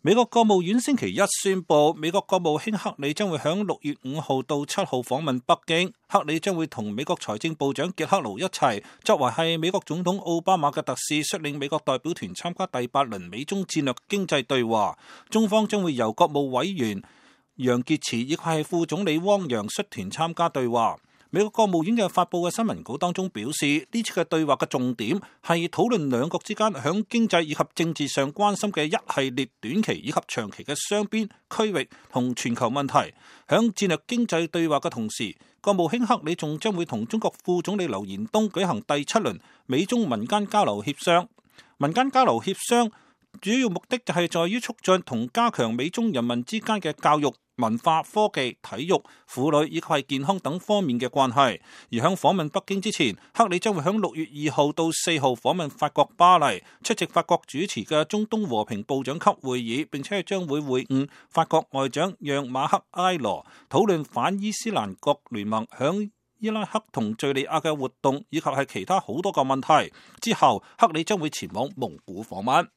美國國務院星期一宣布，美國國務卿克里將會喺6月5號到7號訪問北京。克里將會同美國財政部長傑克盧一齊，作為係美國總統奧巴馬嘅特使，率領美國代表團參加第8輪美中戰略經濟對話。中方將會由國務委員楊潔篪以及係副總理汪洋率團參加對話。美國國務院嘅發佈嘅新聞稿當中表示，呢次嘅對話嘅重點係討論兩國之間響經濟以及政治上關心嘅一系列短期以及長期嘅雙邊、區域同全球問題。響戰略經濟對話嘅同時，國務卿克里仲將會同中國副總理劉延東舉行第7輪美中民間交流協商。民間交流協商主要目的就係在於促進同加強美中人民之間嘅教育、文化、科技、體育、婦女以及係健康等方面嘅關係。而喺訪問北京之前，克里將會喺6月2號到4號訪問法國巴黎，出席法國主持嘅中東和平部長級會議，並且將會會晤法國外長讓馬克埃羅，討論反伊斯蘭國聯盟響伊拉克同敘利亞嘅活動，以及係其他好多個問題。之後，克里將會前往蒙古訪問。